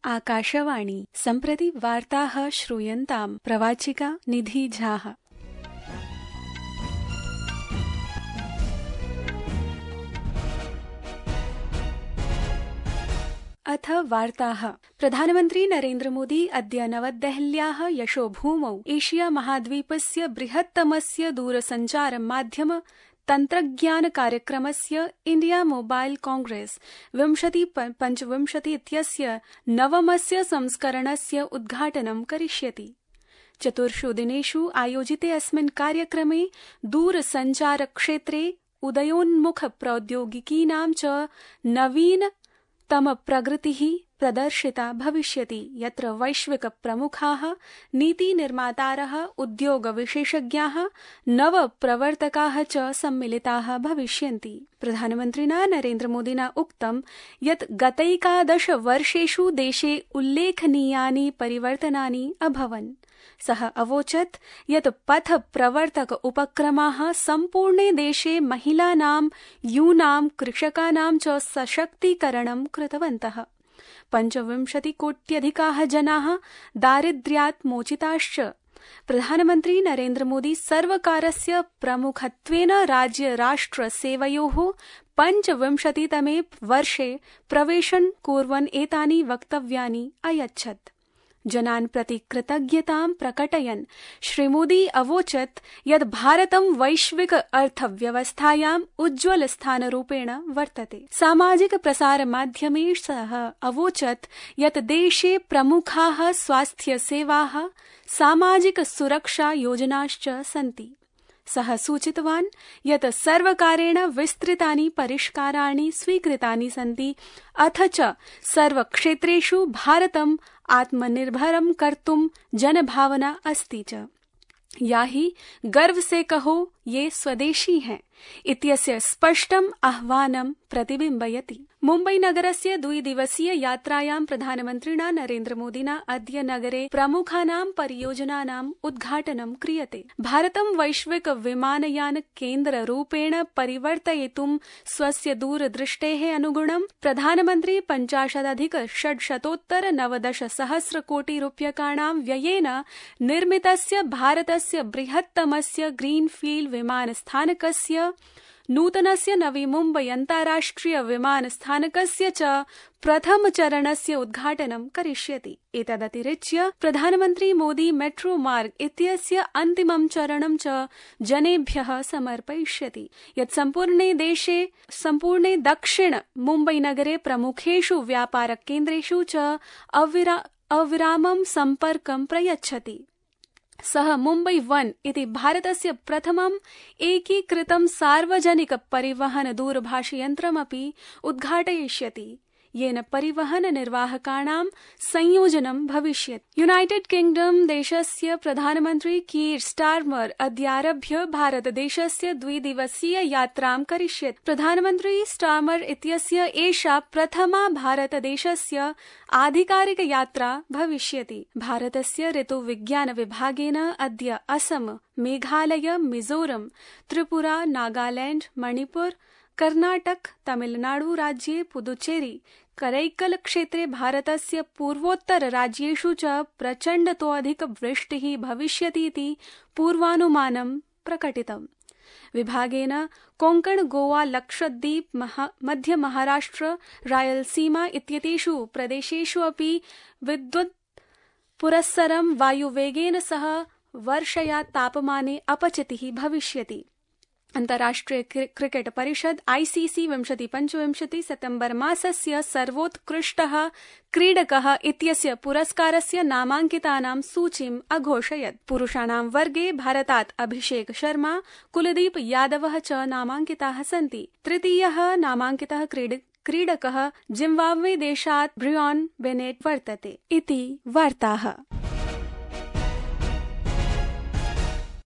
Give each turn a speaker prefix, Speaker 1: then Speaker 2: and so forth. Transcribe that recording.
Speaker 1: आकाशवाणी सम्प्रति वार्ताः श्रूयन्ताम् प्रवाचिका निधि झाः। अथ वार्ताः। प्रधानमन्त्री नरेन्द्र मोदी अद्य नवदेहल्याः यशोभूमौ एशिया महाद्वीपस्य बृहत्तमस्य दूरसञ्चार माध्यम तन्त्रज्ञान कार्यक्रमस्य इंडिया मोबाइल कांग्रेस 2025 इत्यस्य नवमस्य संस्करणस्य उद्घाटनं करिष्यति। 4 दिनेषु आयोजिते अस्मिन् कार्यक्रमे दूरसञ्चार क्षेत्रे उदयोन्मुख प्रौद्योगिकीनां च नवीनतम प्रगतिः प्रदर्शिता भविष्यति, यत्र वैश्विक प्रमुखाः, नीतिनिर्मातारः, उद्योगविशेषज्ञाः, नवप्रवर्तकाः च सम्मिलिताः भविष्यन्ति। प्रधानमन्त्रिणा नरेन्द्र मोदिना उक्तं यत् गतैकादश वर्षेषु देशे उल्लेखनीयानि परिवर्तनानि अभवन्। सः अवोचत् यत् पथ प्रवर्तक उपक्रमाः सम्पूर्णे देशे महिलानां, यूनां, कृषकाणां च सशक्तीकरणं कृतवन्तः। 25 कोट्यधिकाः जनाः दारिद्र्यात् मोचिताश्च। प्रधानमन्त्री नरेन्द्र मोदी सर्वकारस्य प्रमुखत्वेन राज्य राष्ट्र सेवयोः 25तमे वर्षे प्रवेशं कुर्वन् एतानि वक्तव्यानि अयच्छत्। जनान् प्रति कृतज्ञतां प्रकटयन् श्रीमोदी अवोचत् यत् भारतं वैश्विक अर्थव्यवस्थायाम् उज्ज्वल स्थानरूपेण वर्तते। सामाजिक प्रसार माध्यमे सः अवोचत् यत् देशे प्रमुखाः स्वास्थ्य सेवाः, सामाजिक सुरक्षा योजनाश्च सन्ति। सः सूचितवान् यत् सर्वकारेण विस्तृतानि परिष्काराणि स्वीकृतानि सन्ति, अथ च सर्वक्षेत्रेषु भारतम् आत्मनिर्भरं कर्तुं जनभावना अस्ति च, या हि गर्व से कहो ये स्वदेशी हैं इत्यस्य स्पष्टम् आह्वानं प्रतिबिम्बयति। मुम्बई नगरस्य 2 दिवसीय यात्रायां प्रधानमन्त्रिणा नरेन्द्र मोदिना अद्य नगरे प्रमुखानां परियोजनानाम् उद्घाटनं क्रियते। भारतं वैश्विक विमानयान केन्द्ररूपेण परिवर्तयितुं स्वस्य दूरदृष्टेः अनुगुणं प्रधानमन्त्री 50,690 कोटि रूप्यकाणां व्ययेन निर्मितस्य भारतस्य बृहत्तमस्य ग्रीनफील्ड विमानस्थानकस्य, नूतनस्य नवी मुम्बई अन्ताराष्ट्रिय विमानस्थानकस्य च प्रथमचरणस्य उद्घाटनं करिष्यति। एतदतिरिच्य प्रधानमन्त्री मोदी मेट्रो मार्ग इत्यस्य अन्तिमं चरणं च जनेभ्यः समर्पयिष्यति, यत् सम्पूर्णे दक्षिण मुम्बई नगरे प्रमुखेषु व्यापारकेन्द्रेषु च अविरामं सम्पर्कं प्रयच्छति। सः मुम्बई 1 इति भारतस्य प्रथमम् एकीकृतं सार्वजनिक परिवहन दूरभाषयन्त्रमपि उद्घाटयिष्यति, येन परिवहन निर्वाहकाणां संयोजनं भविष्यति। यूनाइटेड किंगडम देशस्य प्रधानमन्त्री कीर स्टार्मर अद्यारभ्य भारतदेशस्य 2 दिवसीय यात्रां करिष्यति। प्रधानमन्त्री स्टार्मर इत्यस्य एषा प्रथमा भारतदेशस्य आधिकारिक यात्रा भविष्यति। भारतस्य ऋतुविज्ञान विभागेन अद्य असम, मेघालय, मिजोरम, त्रिपुरा, नागालैंड, मणिपुर, कर्नाटक, तमिलनाडु राज्ये, पुदुचेरी, करैकल क्षेत्रे भारतस्य पूर्वोत्तर राज्येषु च प्रचण्डतोऽधिक वृष्टिः भविष्यतीति पूर्वानुमानं प्रकटितम्। विभागेन कोंकण, गोवा, लक्षद्वीप, मध्य महाराष्ट्र, रायलसीमा इत्येतेषु प्रदेशेषु अपि विद्युत् पुरस्सरं वायुवेगेन सह वर्षया तापमाने अपचितिः भविष्यति। अन्ताराष्ट्रिय क्रिकेट परिषद ICC 2025 सितंबर मासस्य सर्वोत्कृष्टः क्रीडकः इत्यस्य पुरस्कारस्य नामाङ्कितानां सूचीम् अघोषयत्। पुरुषाणां वर्गे भारतात् अभिषेक शर्मा, कुलदीप यादवः च नामाङ्किताः सन्ति। तृतीयः नामाङ्कितः क्रीडकः जिम्बाब्वे देशात् ब्रियान् बेनेट वर्तते। इति वार्ताः।